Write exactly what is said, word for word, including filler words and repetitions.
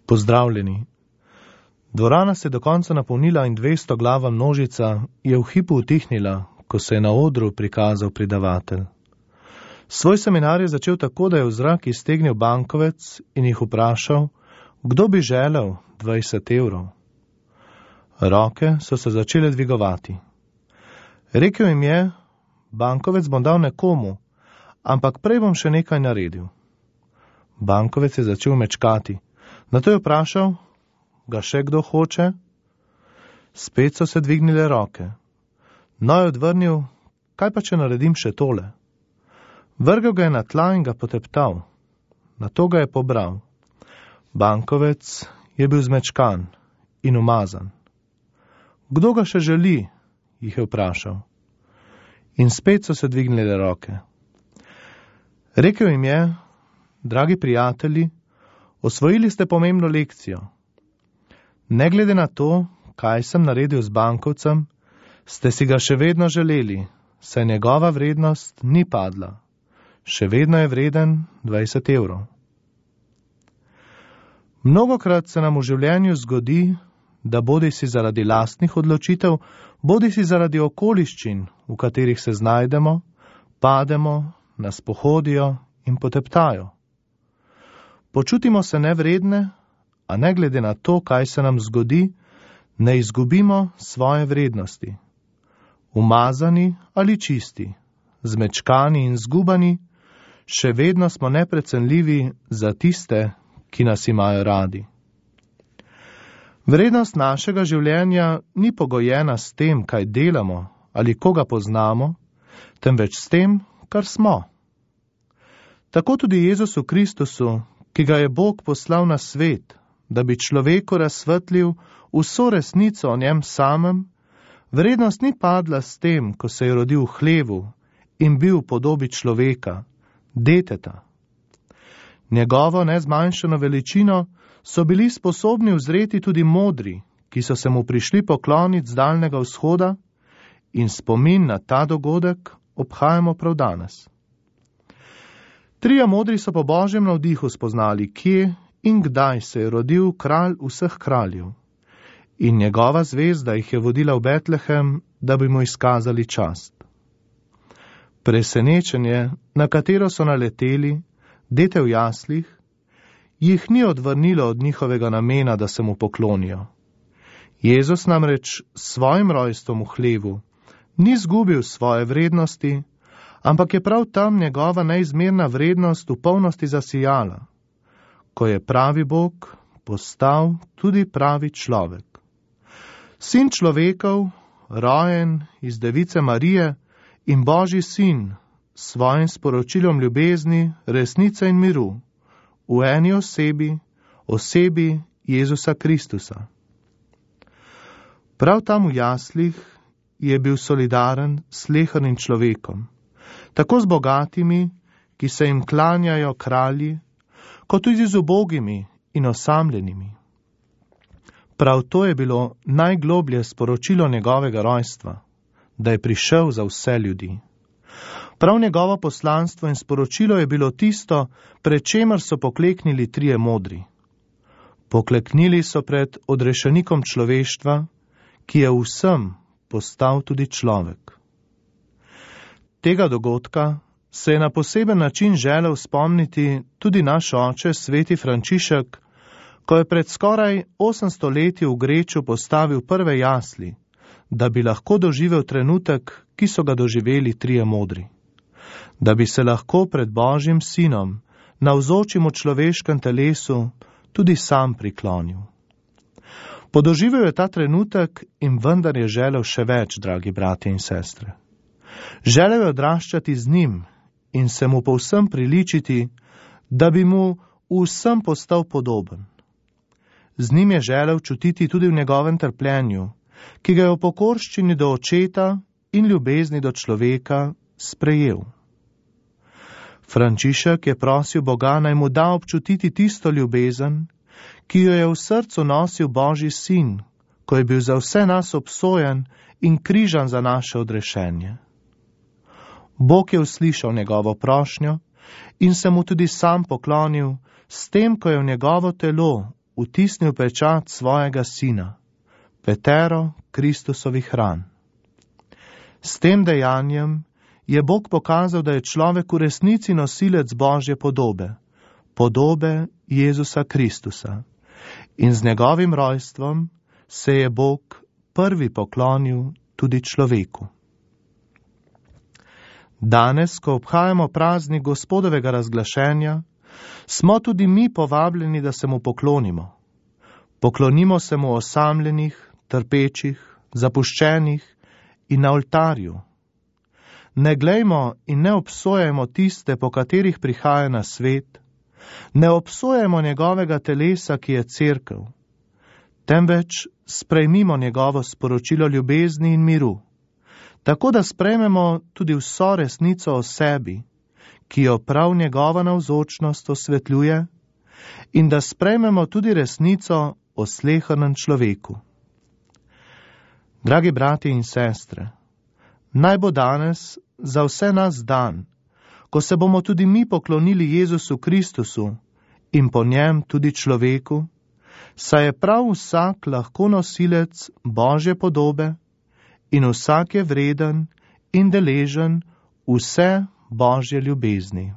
Pozdravljeni. Dvorana se je do konca napolnila in dvesto glava množica je v hipu utihnila, ko se je na odru prikazal predavatelj. Svoj seminar je začel tako, da je v zrak iztegnil bankovec in jih vprašal, kdo bi želel dvajset evrov. Roke so se začele dvigovati. Rekel jim je, bankovec bom dal nekomu, ampak prej bom še nekaj naredil. Bankovec je začel mečkati. Nato je vprašal, ga še kdo hoče? Spet so se dvignile roke. No je odvrnil, kaj pa če naredim še tole? Vrgel ga je na tla in ga poteptal. Nato ga je pobral. Bankovec je bil zmečkan in umazan. Kdo ga še želi? Jih je vprašal. In spet so se dvignile roke. Rekel jim je, dragi prijatelji, osvojili ste pomembno lekcijo. Ne glede na to, kaj sem naredil z bankovcem, ste si ga še vedno želeli, saj njegova vrednost ni padla. Še vedno je vreden dvajset evrov. Mnogokrat se nam v življenju zgodi, da bodi si zaradi lastnih odločitev, bodi si zaradi okoliščin, v katerih se znajdemo, pademo, nas pohodijo in poteptajo. Počutimo se nevredne, a ne glede na to, kaj se nam zgodi, ne izgubimo svoje vrednosti. Umazani ali čisti, zmečkani in zgubani, še vedno smo neprecenljivi za tiste, ki nas imajo radi. Vrednost našega življenja ni pogojena s tem, kaj delamo ali koga poznamo, temveč s tem, kar smo. Tako tudi Jezusu Kristusu, ki ga je Bog poslal na svet, da bi človeku razsvetlil vso resnico o njem samem, vrednost ni padla s tem, ko se je rodil v hlevu in bil v podobi človeka, deteta. Njegovo nezmanjšano veličino so bili sposobni uzreti tudi modri, ki so se mu prišli pokloniti z daljnega vzhoda, in spomin na ta dogodek obhajamo prav danes. Trije modri so po Božjem navdihu spoznali, kje in kdaj se je rodil kralj vseh kraljev, in njegova zvezda jih je vodila v Betlehem, da bi mu izkazali čast. Presenečenje, na katero so naleteli, dete v jaslih, jih ni odvrnilo od njihovega namena, da se mu poklonijo. Jezus namreč s svojim rojstvom v hlevu ni zgubil svoje vrednosti, ampak je prav tam njegova neizmerna vrednost v polnosti zasijala, ko je pravi Bog postal tudi pravi človek. Sin človekov, rojen iz device Marije in Božji sin, s svojim sporočilom ljubezni, resnice in miru, v eni osebi, osebi Jezusa Kristusa. Prav tam v jaslih je bil solidaren s slehernim človekom, tako z bogatimi, ki se jim klanjajo kralji, kot tudi z ubogimi in osamljenimi. Prav to je bilo najgloblje sporočilo njegovega rojstva, da je prišel za vse ljudi. Prav njegovo poslanstvo in sporočilo je bilo tisto, pred čemer so pokleknili trije modri. Pokleknili so pred odrešenikom človeštva, ki je vsem postal tudi človek. Tega dogodka se je na poseben način želel spomniti tudi naš oče, sveti Frančišek, ko je pred skoraj osemsto leti v Greču postavil prve jasli, da bi lahko doživel trenutek, ki so ga doživeli trije modri. Da bi se lahko pred Božjim sinom, navzočim v človeškem telesu, tudi sam priklonil. Podoživel je ta trenutek in vendar je želel še več, dragi bratje in sestre. Želel je odraščati z njim in se mu povsem priličiti, da bi mu vsem postal podoben. Z njim je želel čutiti tudi v njegovem trpljenju, ki ga je v pokorščini do očeta in ljubezni do človeka sprejel. Frančišek je prosil Boga, naj mu da občutiti tisto ljubezen, ki jo je v srcu nosil Božji sin, ko je bil za vse nas obsojen in križan za naše odrešenje. Bog je uslišal njegovo prošnjo in se mu tudi sam poklonil, s tem, ko je v njegovo telo, vtisnil pečat svojega sina, petero Kristusovih ran. S tem dejanjem je Bog pokazal, da je človek v resnici nosilec Božje podobe, podobe Jezusa Kristusa, in z njegovim rojstvom se je Bog prvi poklonil tudi človeku. Danes, ko obhajamo praznik Gospodovega razglašenja, smo tudi mi povabljeni, da se mu poklonimo. Poklonimo se mu osamljenih, trpečih, zapuščenih in na oltarju. Ne glejmo in ne obsojajmo tiste, po katerih prihaja na svet, ne obsojajmo njegovega telesa, ki je cerkev, temveč sprejmimo njegovo sporočilo ljubezni in miru, tako da sprejmemo tudi vso resnico o sebi, ki jo prav njegova navzočnost osvetljuje, in da sprejmemo tudi resnico o slehernem človeku. Dragi bratje in sestre, naj bo danes za vse nas dan, ko se bomo tudi mi poklonili Jezusu Kristusu in po njem tudi človeku, saj je prav vsak lahko nosilec Božje podobe in vsak je vreden in deležen vse Božje ljubezni.